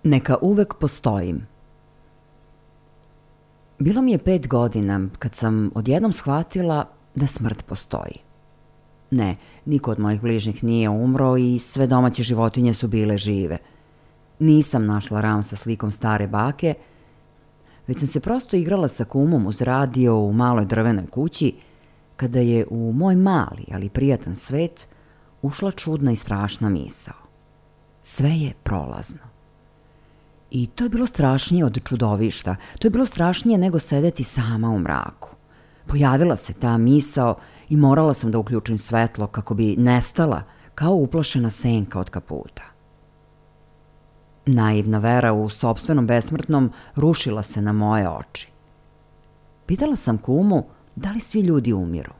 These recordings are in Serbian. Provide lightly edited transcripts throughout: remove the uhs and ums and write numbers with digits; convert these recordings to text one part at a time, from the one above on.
Neka uvek postojim. Bilo mi je 5 godina kad sam odjednom shvatila da smrt postoji. Ne, niko od mojih bližnjih nije umro i sve domaće životinje su bile žive. Nisam našla ram sa slikom stare bake, već sam se prosto igrala sa kumom uz radio u maloj drvenoj kući, kada je u moj mali, ali prijatan svet ušla čudna i strašna misao. Sve je prolazno. I to je bilo strašnije od čudovišta, to je bilo strašnije nego sedeti sama u mraku. Pojavila se ta misao i morala sam da uključim svetlo kako bi nestala kao uplašena senka od kaputa. Naivna vera u sopstvenom besmrtnom rušila se na moje oči. Pitala sam kumu da li svi ljudi umiru.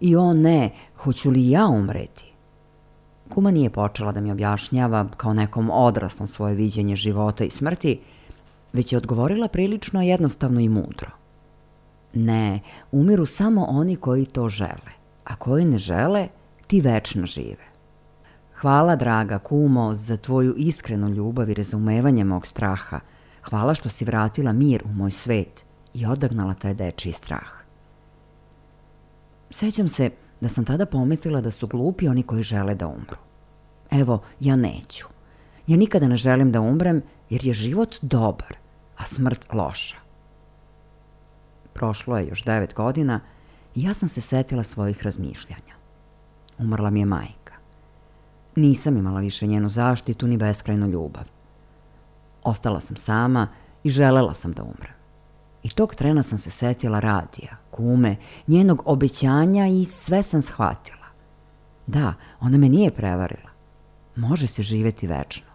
I o ne, hoću li ja umreti? Kuma nije počela da mi objašnjava kao nekom odraslom svoje viđenje života i smrti, već je odgovorila prilično jednostavno i mudro. Ne, umiru samo oni koji to žele, a koji ne žele, ti večno žive. Hvala, draga kumo, za tvoju iskrenu ljubav i razumevanje mog straha. Hvala što si vratila mir u moj svet i odagnala taj dečiji strah. Sećam se da sam tada pomislila da su glupi oni koji žele da umru. Evo, ja neću. Ja nikada ne želim da umrem jer je život dobar, a smrt loša. Prošlo je još 9 godina i ja sam se setila svojih razmišljanja. Umrla mi je majka. Nisam imala više njenu zaštitu ni beskrajnu ljubav. Ostala sam sama i želela sam da umrem. I tog trena sam se setila radija, kume, njenog obećanja i sve sam shvatila. Da, ona me nije prevarila. Može se živeti večno,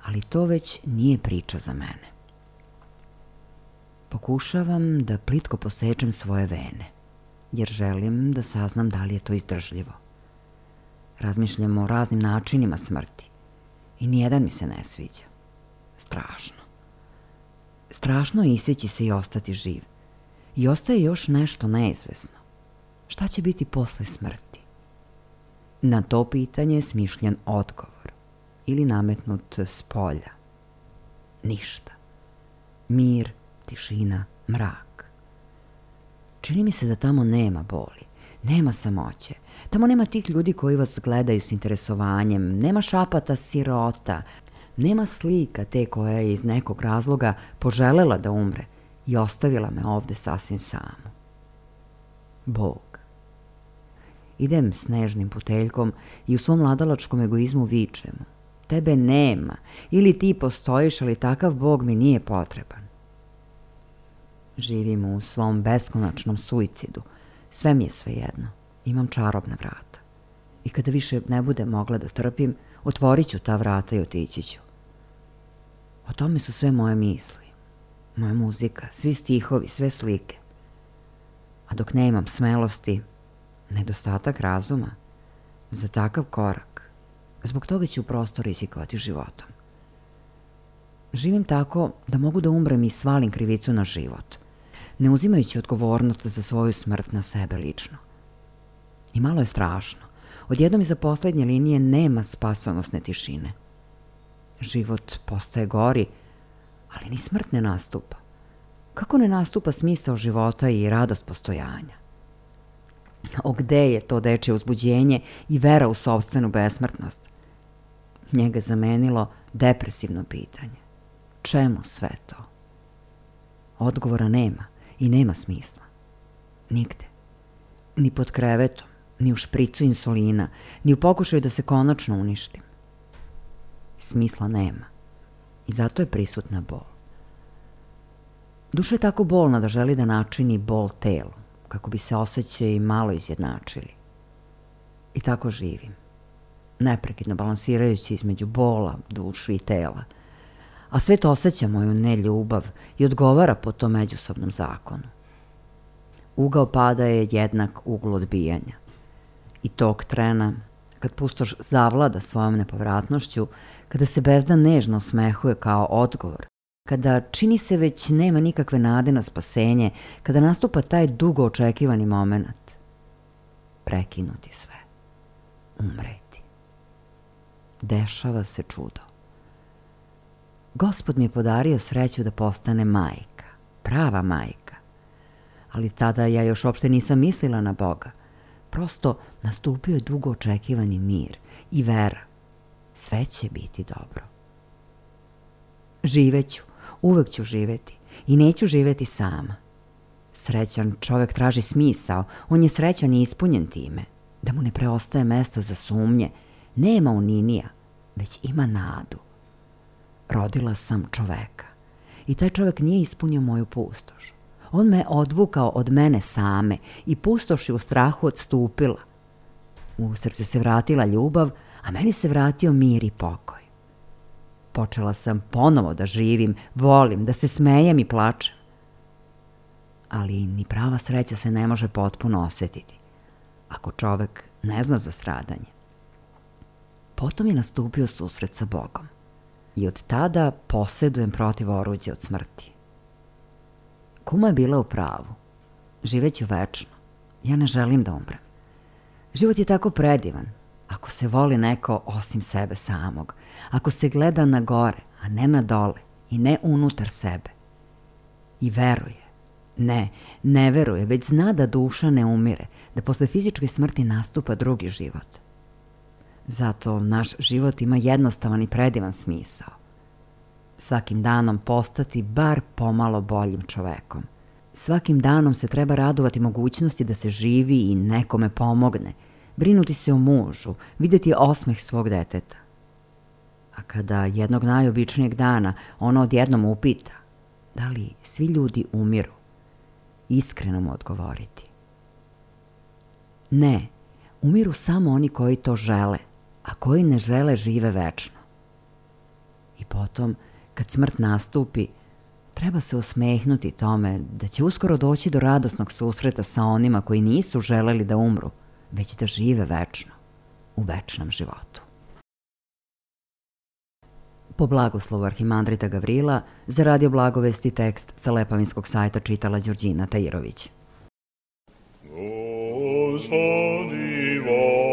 ali to već nije priča za mene. Pokušavam da plitko posečem svoje vene, jer želim da saznam da li je to izdržljivo. Razmišljam o raznim načinima smrti i nijedan mi se ne sviđa. Strašno. Strašno je iseći se i ostati živ. I ostaje još nešto neizvesno. Šta će biti posle smrti? Na to pitanje je smišljen odgovor ili nametnut s polja. Ništa. Mir, tišina, mrak. Čini mi se da tamo nema boli, nema samoće. Tamo nema tih ljudi koji vas gledaju s interesovanjem, nema šapata sirota, nema slika te koja je iz nekog razloga poželela da umre i ostavila me ovde sasvim samu. Bog. Idem snežnim puteljkom i u svom mladalačkom egoizmu vičem: tebe nema, ili ti postojiš, ali takav Bog mi nije potreban. Živim u svom beskonačnom suicidu. Sve mi je svejedno. Imam čarobna vrata. I kada više ne budem mogla da trpim, otvorit ću ta vrata i otići ću. O tome su sve moje misli, moja muzika, svi stihovi, sve slike. A dok nemam smelosti, nedostatak razuma, za takav korak, zbog toga ću prosto rizikovati životom. Živim tako da mogu da umrem i svalim krivicu na život, ne uzimajući odgovornost za svoju smrt na sebe lično. I malo je strašno. Odjednom iza poslednje linije nema spasonosne tišine. Život postaje gori, ali ni smrt ne nastupa. Kako ne nastupa smisao života i radost postojanja? O gde je to dečje uzbuđenje i vera u sopstvenu besmrtnost? Njega zamenilo depresivno pitanje. Čemu sve to? Odgovora nema i nema smisla. Nigde. Ni pod krevetom, ni u špricu insulina, ni u pokušaju da se konačno uništim. Smisla nema. I zato je prisutna bol. Duša je tako bolna da želi da načini bol telu, kako bi se osjećaji malo izjednačili. I tako živim, neprekidno balansirajući između bola, duše i tela. A svet osjeća moju neljubav i odgovara po tom međusobnom zakonu. Ugao pada je jednak uglu odbijanja. I tog trena, kad pustoš zavlada svojom nepovratnošću, kada se bezdan nežno osmehuje kao odgovor, kada čini se već nema nikakve nade na spasenje, kada nastupa taj dugo očekivani moment, prekinuti sve, umreti. Dešava se čudo. Gospod mi je podario sreću da postane majka, prava majka. Ali tada ja još uopšte nisam mislila na Boga. Prosto nastupio je dugo očekivani mir i vera. Sve će biti dobro. Živeću, uvek ću živeti i neću živeti sama. Srećan čovek traži smisao, on je srećan i ispunjen time, da mu ne preostaje mesta za sumnje, nema uninija, već ima nadu. Rodila sam čoveka i taj čovek nije ispunio moju pustoš. On me odvukao od mene same i pustoš je u strahu odstupila. U srce se vratila ljubav, a meni se vratio mir i pokoj. Počela sam ponovo da živim, volim, da se smejem i plačem. Ali ni prava sreća se ne može potpuno osetiti, ako čovek ne zna za stradanje. Potom je nastupio susret sa Bogom i od tada posedujem protiv oruđa od smrti. Kuma je bila u pravu. Živeću večno. Ja ne želim da umrem. Život je tako predivan. Ako se voli neko osim sebe samog. Ako se gleda na gore, a ne na dole i ne unutar sebe. I veruje. Ne, ne veruje, već zna da duša ne umire, da posle fizičke smrti nastupa drugi život. Zato naš život ima jednostavan i predivan smisao. Svakim danom postati bar pomalo boljim čovekom. Svakim danom se treba radovati mogućnosti da se živi i nekome pomogne, brinuti se o mužu, videti osmeh svog deteta. A kada jednog najobičnijeg dana ona odjednom upita da li svi ljudi umiru, iskreno mu odgovoriti: ne, umiru samo oni koji to žele, a koji ne žele žive večno. I potom, kad smrt nastupi, treba se osmehnuti tome da će uskoro doći do radosnog susreta sa onima koji nisu želeli da umru, već da žive večno, u večnom životu. Po blagoslovu arhimandrita Gavrila, za Radio Blagovesti tekst sa lepavinskog sajta čitala Đurđina Tajirović. Lord.